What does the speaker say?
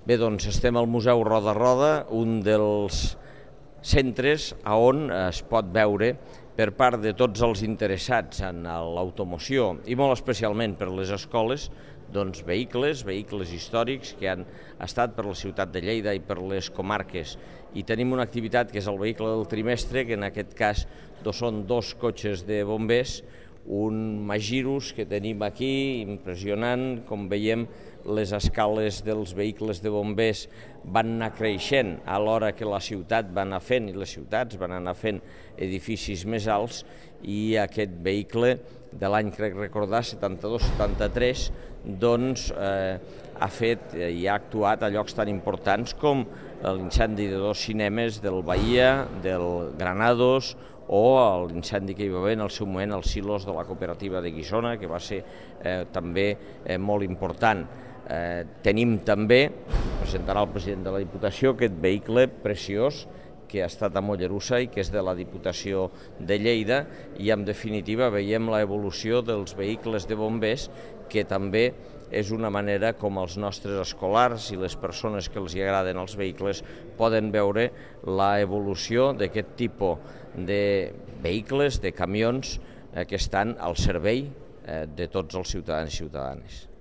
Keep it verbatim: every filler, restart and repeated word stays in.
Bé, doncs estem al Museu Roda Roda, un dels centres on es pot veure per part de tots els interessats en l'automoció i molt especialment per les escoles, doncs vehicles, vehicles històrics que han estat per la ciutat de Lleida i per les comarques. I tenim una activitat que és el vehicle del trimestre, que en aquest cas són dos cotxes de bombers, un Magirus que tenim aquí, impressionant, com veiem les escales dels vehicles de bombers van anar creixent a l'hora que la ciutat va anar fent i les ciutats van anar fent edificis més alts, i aquest vehicle de l'any, crec recordar, setanta-dos setanta-tres, doncs eh, ha fet i ha actuat a llocs tan importants com l'incendi de dos cinemes del Bahia, del Granados, o l'incendi que hi va haver en el seu moment als silos de la cooperativa de Guissona, que va ser eh, també eh, molt important. Eh, tenim també, presentarà el president de la Diputació, aquest vehicle preciós que ha estat a Mollerussa i que és de la Diputació de Lleida, i en definitiva veiem l'evolució dels vehicles de bombers, que també és una manera com els nostres escolars i les persones que els hi agraden els vehicles poden veure l'evolució d'aquest tipus de vehicles, de camions, eh, que estan al servei eh, de tots els ciutadans i ciutadanes.